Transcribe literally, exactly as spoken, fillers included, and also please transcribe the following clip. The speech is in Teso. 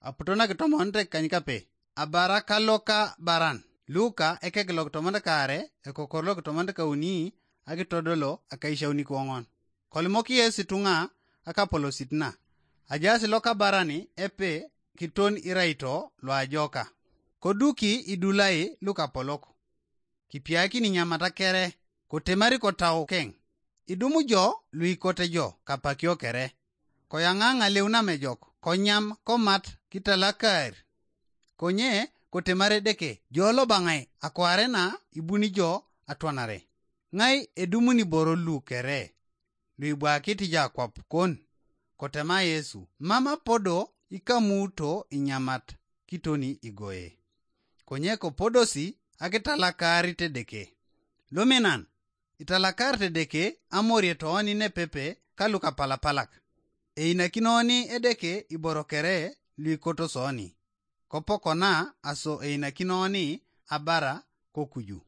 aputo na kitomonit ekanykape, abara ka loka baran. Luka ekek lo kitomonit kaare, ekokor lo kitomonit kauni, akitodolo akaishauni koŋon. Kolimok Yesu ituŋa akapolosit na, ajaas loka baran epe kiton iraito loajoka. Koduki idulai lukapolok. Kipiakin inyamata kere, kotemari kotau keŋ. Idumu jo luikote jo kapakio kere. Koyaŋa ŋaleu namejok, konyam komat kitalakaar. Konye kotemar Edeke, jo lobaŋai akware na ibuni jo atwanare. Ŋai edumuni boro lu kere, luibwakit jo akwap kon? Kotema Yesu, mam apodo ikamuuto inyamat kitoni igoe. Konye kopodosi akitalakaarit Edeke. Luminan, italakarit Edeke amorie tooni nepepe ka lukapalapalak. Einakinoni Edeke iboro kere luikoto soni. Kopokona aso einakinoni abara kokuju.